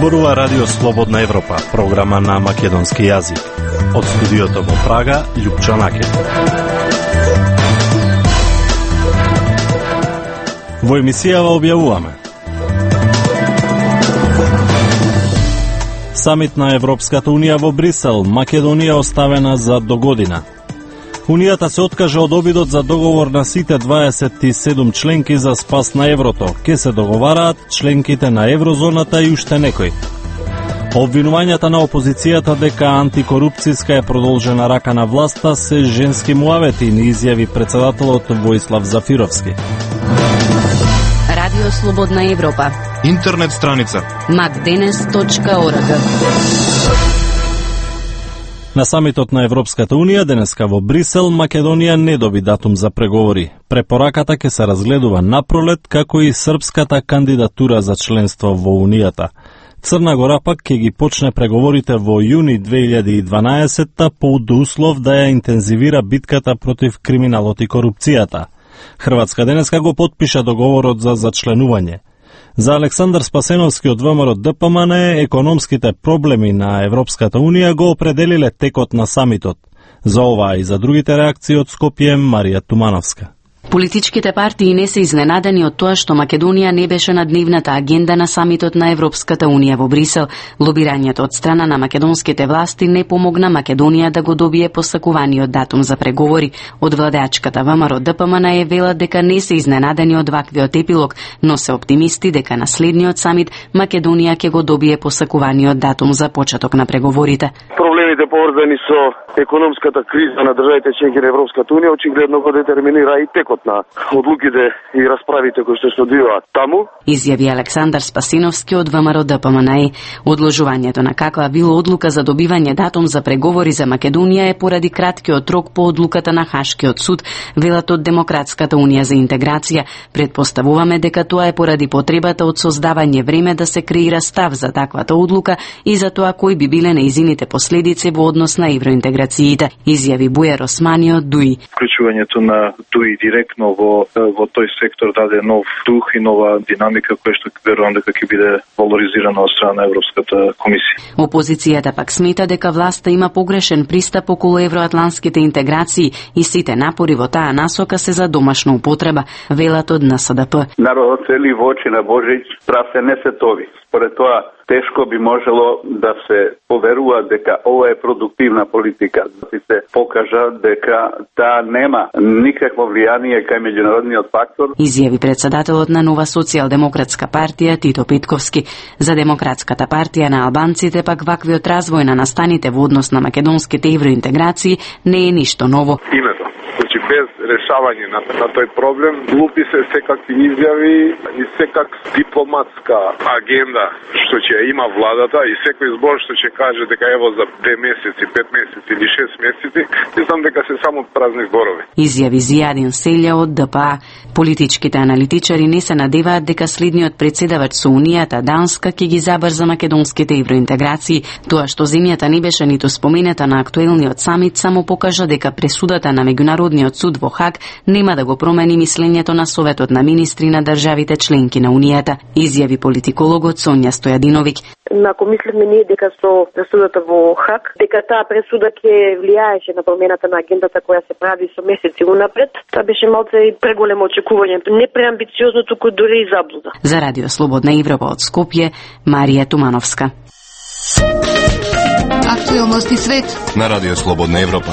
Зборува Радио Слободна Европа, програма на македонски јазик. Од студиото во Прага, Љупчо Накет. Во емисијава објавуваме: Самит на Европската Унија во Брисел, Македонија оставена за догодина. Унијата се откажа од обидот за договор на сите 27 членки за спас на еврото. Ке се договараат членките на еврозоната и уште некои. Обвинувањата на опозицијата дека антикорупцијска е продолжена рака на власта се женски муавети, ни изјави председателот Воислав Зафировски. Радио Слободна Европа. Интернет страница macdenes.org. На самитот на Европската Унија денеска во Брисел, Македонија не доби датум за преговори. Препораката ќе се разгледува напролет, како и српската кандидатура за членство во Унијата. Црна Гора пак ќе ги почне преговорите во јуни 2012 по услов да ја интензивира битката против криминалот и корупцијата. Хрватска денеска го потпиша договорот за зачленување. За Александар Спасеновски од ВМРО ДПМН економските проблеми на Европската Унија го определиле текот на самитот. За ова и за другите реакции од Скопје, Марија Тумановска. Политичките партии не се изненадени од тоа што Македонија не беше на дневната агенда на самитот на Европската Унија во Брисел. Лобирањето од страна на македонските власти не помогна Македонија да го добие посакуваниот датум за преговори. Од владеачката ВМРО ДПМН велат дека не се изненадени од ваквиот епилог, но се оптимисти дека на следниот самит Македонија ќе го добие посакуваниот датум за почеток на преговорите. Проблемите поврзани со економската криза на државите членки на Европската Унија очигледно го детерминира и текот на одлуките и расправите кои што се одвиваат таму, изјави Александар Спасиновски од ВМРО ДПМН. Одложувањето на каква било одлука за добивање датум за преговори за Македонија е поради краткиот рок по одлуката на Хашкиот суд, велат од Демократската унија за интеграција. Предпоставуваме дека тоа е поради потребата од создавање време да се креира став за таквата одлука и за тоа кои би биле неизините последици во однос на евроинтеграциите, изјави Бујар Османи од ДУИ. Вклучувањето на ДУИ директно во тој сектор даде нов дух и нова динамика која што верувам дека ќе биде валоризирана од страна на Европската комисија. Опозицијата пак смета дека власта има погрешен пристап околу евроатлантските интеграции и сите напори во таа насока се за домашна употреба, велат од НСДП. Народот цели во очи на Божич, прасе не се тови. Според тоа, тешко би можело да се поверува дека ова е продуктивна политика, да се покажа дека таа нема никакво влијание кај меѓународниот фактор. Изјави председателот на Нова социјалдемократска партија Тито Петковски. За Демократската партија на албанците пак ваквиот развој на настаните во однос на македонските евроинтеграции не е ништо ново. името. Значи без решавање на тој проблем, глупи се секакви изјави и секак дипломатска агенда што ќе има владата и секој збор што ќе каже дека ево за 2 месеци, 5 месеци или 6 месеци, мислам дека се само празни зборови. Изјави Зијадин Селја од ДПА. Политичките аналитичари не се надеваат дека следниот председавач со Унијата Данска ќе ги забрза македонските евроинтеграции. Тоа што земјата не беше ниту спомената на актуелниот самит само покажа дека пресудата на меѓународниот суд во Хаг нема да го промени мислењето на Советот на министри на државите членки на Унијата, изјави политикологот Сонја Стојадиновиќ. Ако мислиме ние дека со пресудата во Хаг, дека таа пресуда ќе влијаеше на промената на агендата која се прави со месеци унапред, тоа беше малце и преголемо очекување, не преамбициозно, туку дури и заблуда. За Радио Слободна Европа од Скопје, Марија Тумановска. Актуелности свет на Радио Слободна Европа.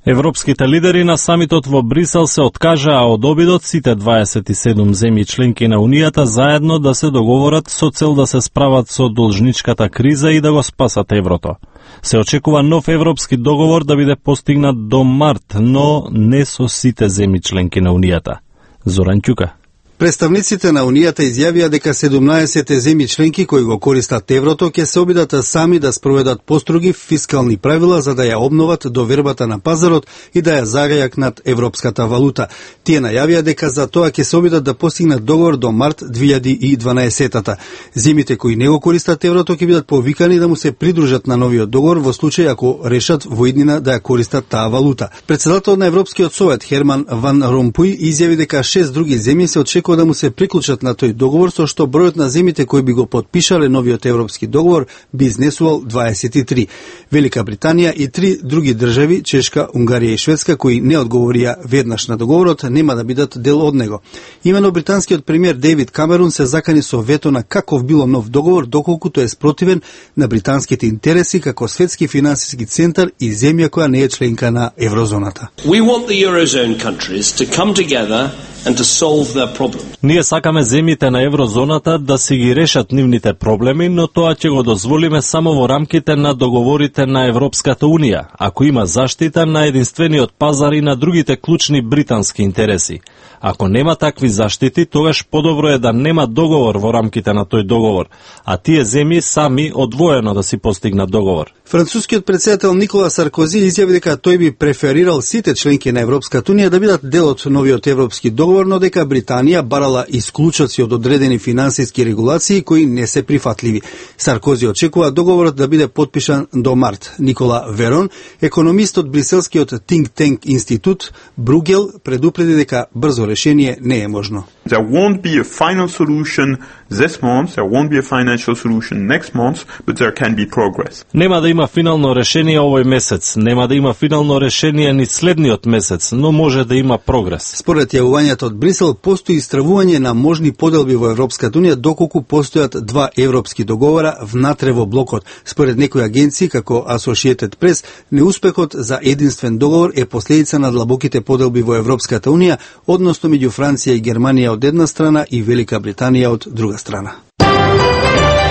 Европските лидери на самитот во Брисел се откажаа од обидот сите 27 земји членки на Унијата заедно да се договорат со цел да се справат со должничката криза и да го спасат еврото. Се очекува нов европски договор да биде постигнат до март, но не со сите земји членки на Унијата. Зоран Ќука. Представниците на Унијата изјавија дека 17 земји членки кои го користат еврото ќе се обидат сами да спроведат построги фискални правила за да ја обноват довербата на пазарот и да ја загајат над европската валута. Тие најавија дека за тоа ќе се обидат да постигнат договор до март 2012-та. Земјите кои не го користат еврото ќе бидат повикани да му се придружат на новиот договор во случај ако решат во иднина да ја користат таа валута. Председател на Европскиот совет Херман Ван Ромпуј изјави дека 6 други земји се очекува како да му се приклучат на тој договор, со што бројот на земјите кои би го потпишале новиот европски договор би изнесувал 23. Велика Британија и 3 други држави, Чешка, Унгарија и Шведска, кои не одговорија веднаш на договорот, нема да бидат дел од него. Имено британскиот премиер Дейвид Камерун се закани со вето на каков било нов договор, доколку тој е спротивен на британските интереси како светски финансиски центар и земја која не е членка на еврозоната. We want the Eurozone countries to come together and to solve their problems. Ние сакаме земјите на еврозоната да си ги решат нивните проблеми, но тоа ќе го дозволиме само во рамките на договорите на Европската Унија, ако има заштита на единствениот пазар и на другите клучни британски интереси. Ако нема такви заштити, тогаш подобро е да нема договор во рамките на тој договор, а тие земји сами одвоено да си постигнат договор. Францускиот претседател Никола Саркози изјави дека тој би преферирал сите членки на Европската Унија да бидат дел од новиот европски договор, но дека Британија барала исклучоци од одредени финансиски регулации кои не се прифатливи. Саркози очекува договорот да биде потпишан до март. Никола Верон, економист од бриселскиот think tank институт Бругел, предупреди дека брзо решение не е можно. There won't be a final solution this month, there won't be a financial solution next month, but there can be progress. Нема да има финално решение овој месец, нема да има финално решение ни следниот месец, но може да има прогрес. Според јавувањето од Брисел, постои истравување на можни поделби во Европската Унија доколку постојат два европски договора внатре во блокот. Според некои агенции, како Associated Press, неуспехот за единствен договор е последица на длабоките поделби во Европската Унија, односно меѓу Франција и Германија од една страна и Велика Британија од друга страна.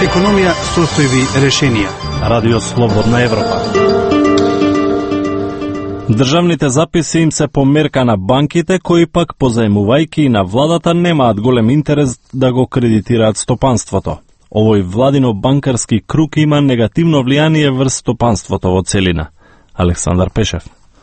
Економија, состојби, решенија. Радио Слободна Европа. Државните записи им се померка на банките, кои пак позаемувајќи на владата немаат голем интерес да го кредитираат стопанството. Овој владино банкарски круг има негативно влијание врз стопанството во целина. Александар Пешев.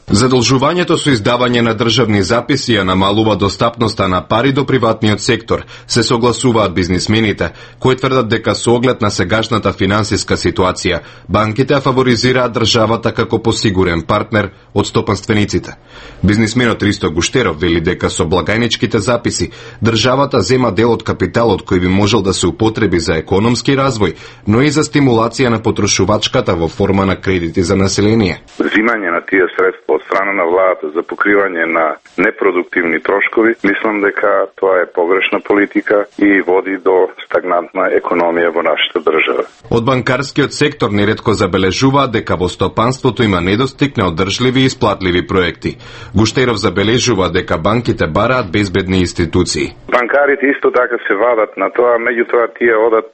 Задолжувањето со издавање на државни записи ја намалува достапноста на пари до приватниот сектор, се согласуваат бизнисмените, кои тврдат дека со оглед на сегашната финансиска ситуација, банките ја фаворизираат државата како посигурен партнер од стопанствениците. Бизнисменот Ристо Гуштеров вели дека со благајничките записи, државата зема дел од капиталот кој би можел да се употреби за економски развој, но и за стимулација на потрошувачката во форма на кредити за население. Взимање на тие средства од страна на владата за покривање на непродуктивни трошкови, мислам дека тоа е погрешна политика и води до стагнантна економија во нашата држава. Од банкарскиот сектор неретко забележуваат дека во стопанството има недостиг на одржливи и исплатливи проекти. Гуштеров забележува дека банките бараат безбедни институции. Банкарите исто така се вадат на тоа, меѓутоа тие одат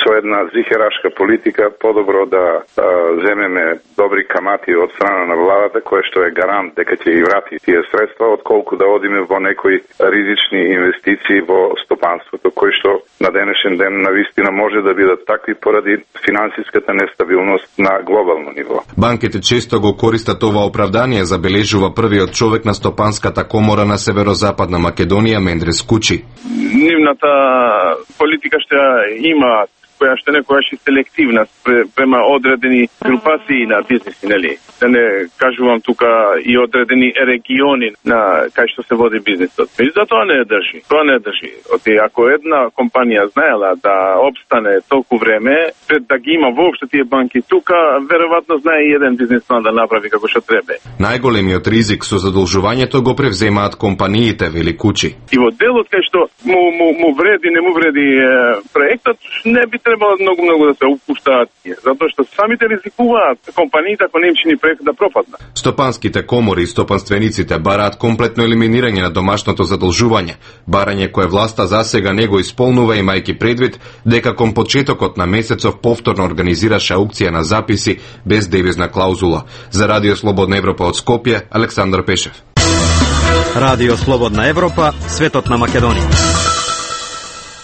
со една зихерашка политика, подобро да земеме добри камати од страна на владата, која што е гарант дека ќе ги врати тие средства, отколку да одиме во некои ризични инвестиции во стопанството, кои што на денешен ден навистина може да бидат такви поради финансиската нестабилност на глобално ниво. Банките често го користат ова оправдание, забележува првиот човек на Стопанската комора на Северозападна Македонија Мендрес Кучи. Нивната политика што има, која што некогаш е селективна према одредени групации на бизнеси, нели? Да не кажувам тука и одредени региони на кај што се води бизнисот. Меѓутоа тоа не држи. Тоа не држи. Ако една компанија знаела да обстане толку време, пред да ги има воопшто тие банки тука, веројатно знае и еден бизнисман да направи како што треба. Најголемиот ризик со задолжувањето го превземаат компаниите, вели Кучи. И во делот кај што му вреди, не му вреди проектот, не би требало многу да се упуштаат, затоа што самите ризикуваат компаниите ако не им чини проект да пропадна. Стопанските комори и стопанствениците бараат комплетно елиминирање на домашното задолжување, барање кое власта засега не го исполнува, имајќи предвид дека кон почетокот на месецов повторно организираше аукција на записи без девизна клаузула. За Радио Слободна Европа од Скопје, Александар Пешев. Радио Слободна Европа, светот на Македонија.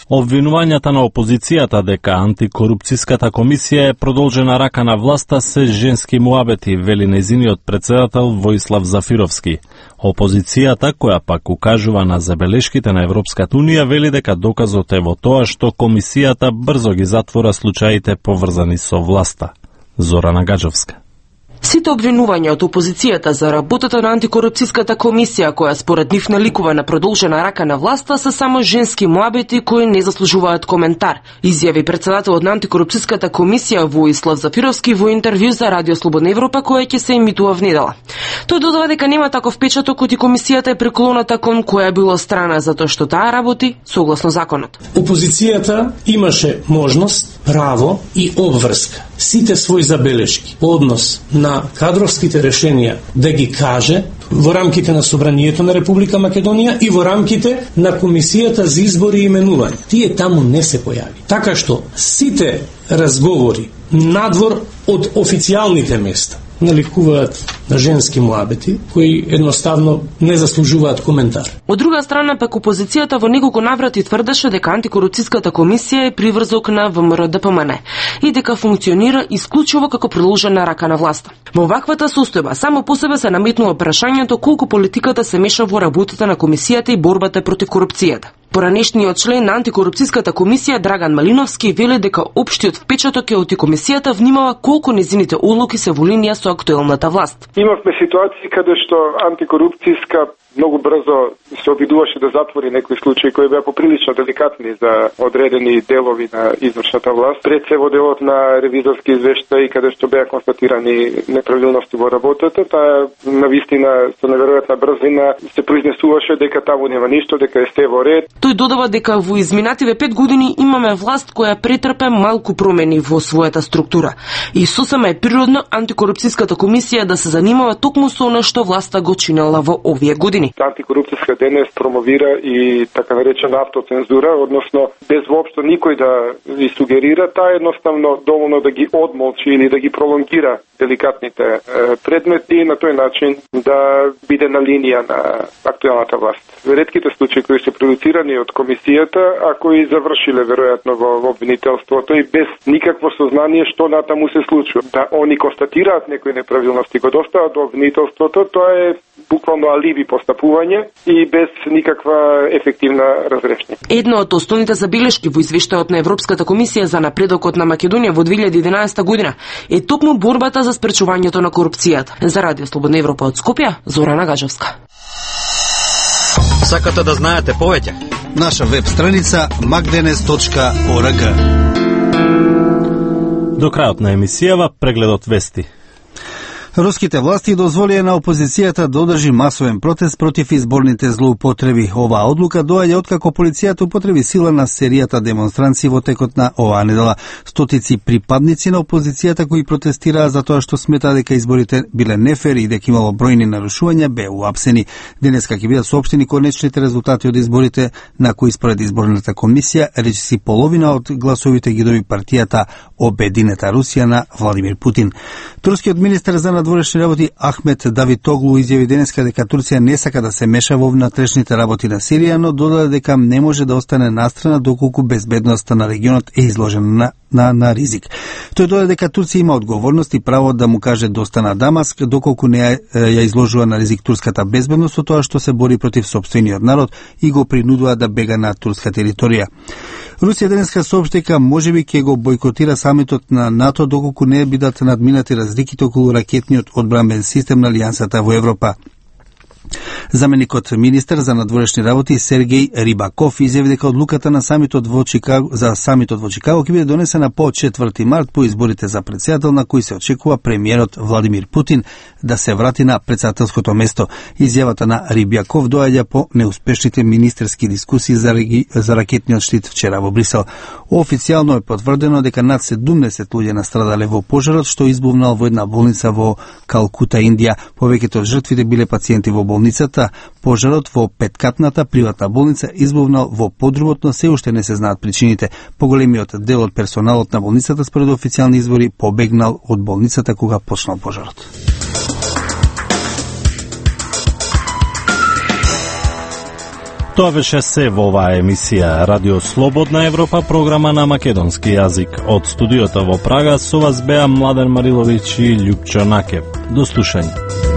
Обвинувањата на опозицијата дека антикорупцијската комисија е продолжена рака на власта се женски муабети, вели нејзиниот претседател Воислав Зафировски. Опозицијата, која пак укажува на забелешките на Европската Унија, вели дека доказот е во тоа што комисијата брзо ги затвора случаите поврзани со власта. Зорана Гаджовска. Сите обвинувања од опозицијата за работата на антикорупцијската комисија, која според нив наликува на продолжена рака на власта, се само женски муабети кои не заслужуваат коментар, изјави председателот на антикорупцијската комисија Воислав Зафировски во интервју за Радио Слободна Европа, која ќе се емитува внедела. Тој додава дека нема таков печаток од комисијата е преклоната кон која било страна, затоа што таа работи согласно законот. Опозицијата имаше можност, право и обврска сите своји забелешки по однос на кадровските решенија да ги каже во рамките на Собранието на Република Македонија и во рамките на Комисијата за избори и именување. Тие таму не се појави. Така што сите разговори надвор од официјалните места наликуваат на женски муабети кои едноставно не заслужуваат коментар. Од друга страна, пак опозицијата во неколку наврати тврдеше дека антикорупцијската комисија е приврзок на ВМРО ДПМН и дека функционира исклучиво како продолжена рака на власта. Во ваквата состојба само по себе се наметнува прашањето колку политиката се меша во работата на комисијата и борбата против корупцијата. Поранешниот член на антикорупцијската комисија Драган Малиновски вели дека општиот впечаток е од комисијата внимава колку незините одлуки се во линија со актуелната власт. Имавме ситуации каде што антикорупцијска многу брзо се обидуваше да затвори некои случаи кои беа поприлично деликатни за одредени делови на извршната власт. Пред се во делот на ревизорски извештаи каде што беа констатирани неправилности во работата, таа навистина со неверојатна брзина се произнесуваше дека таму нема ништо, дека е се во ред. Тој додава дека во изминативе 5 години имаме власт која претрпе малку промени во својата структура. И сосема е природно антикорупцијската комисија да се занимава токму со она што власта го чинела во овие години. Антикорупцијска денес промовира и така наречена автоцензура, односно без воопшто никој да ви сугерира, таа едноставно доволно да ги одмолчи или да ги пролонгира деликатните предмети и на тој начин да биде на линија на актуелната власт. Ретките случаи кои се продуцирани од комисијата, а кои завршиле веројатно во обвинителството и без никакво сознание што натаму се случува. Да они констатираат некои неправилности, го достават до обвинителството, тоа е буквално алиби постапување и без никаква ефективна разрешник. Една од основните забелешки во извештајот на Европската комисија за напредокот на Македонија во 2011 година е токму борбата за спречувањето на корупцијата. За Радио Слободна Европа од Скопје, Зорана Гажевска. Сакате да знаете повеќе? Наша веб страница magdenes.org. До крајот на емисијава прегледот вести. Руските власти дозволија на опозицијата да одржи масовен протест против изборните злоупотреби. Оваа одлука доаѓа откако полицијата употреби сила на серијата демонстранции во текот на оваа недела. Стотици припадници на опозицијата кои протестираа за тоа што сметаа дека изборите биле нефер и дека имало бројни нарушувања беа уапсени. Денеска ќе бидат соопштени конечните резултати од изборите, на кои според изборната комисија речиси половина од гласовите ги доби партијата Обединета Русија на Владимир Путин. Турскиот министер за надворешни работи Ахмет Давитоглу изјави денеска дека Турција не сака да се меша во внатрешните работи на Сирија, но додаде дека не може да остане настрана доколку безбедноста на регионот е изложена на ризик. Тој додаде дека Турција има одговорност и право да му каже доста на Дамаск, доколку не ја изложува на ризик турската безбедност со тоа што се бори против сопствениот народ и го принудува да бега на турска територија. Русија денеска соопшти дека можеби ќе го бойкотира самитот на НАТО доколку не бидат надминати разликите околу ракетниот одбранбен систем на Алијансата во Европа. Заменикот министер за надворешни работи Сергеј Рибаков изјави дека одлуката на самитот во Чикаго ќе биде донесена по 4 март по изборите за претседател на кои се очекува премиерот Владимир Путин да се врати на претседателското место. Изјавата на Рибаков доаѓа по неуспешните министерски дискусии за ракетниот штит вчера во Брисел. Официјално е потврдено дека над 70 луѓе настрадале во пожарот што избувнал во една болница во Калкута, Индија. Повеќето од жртвите биле пациенти во болницата. Пожарот во петкатната приватна болница избувнал во подрумот, но се уште не се знаат причините. Поголемиот дел од персоналот на болницата според официјални извори побегнал од болницата кога почнал пожарот. Тоа беше се во оваа емисија Радио Слободна Европа, програма на македонски јазик. Од студиото во Прага со вас беа Младен Мариловиќ и Љупчо Накев. До слушање.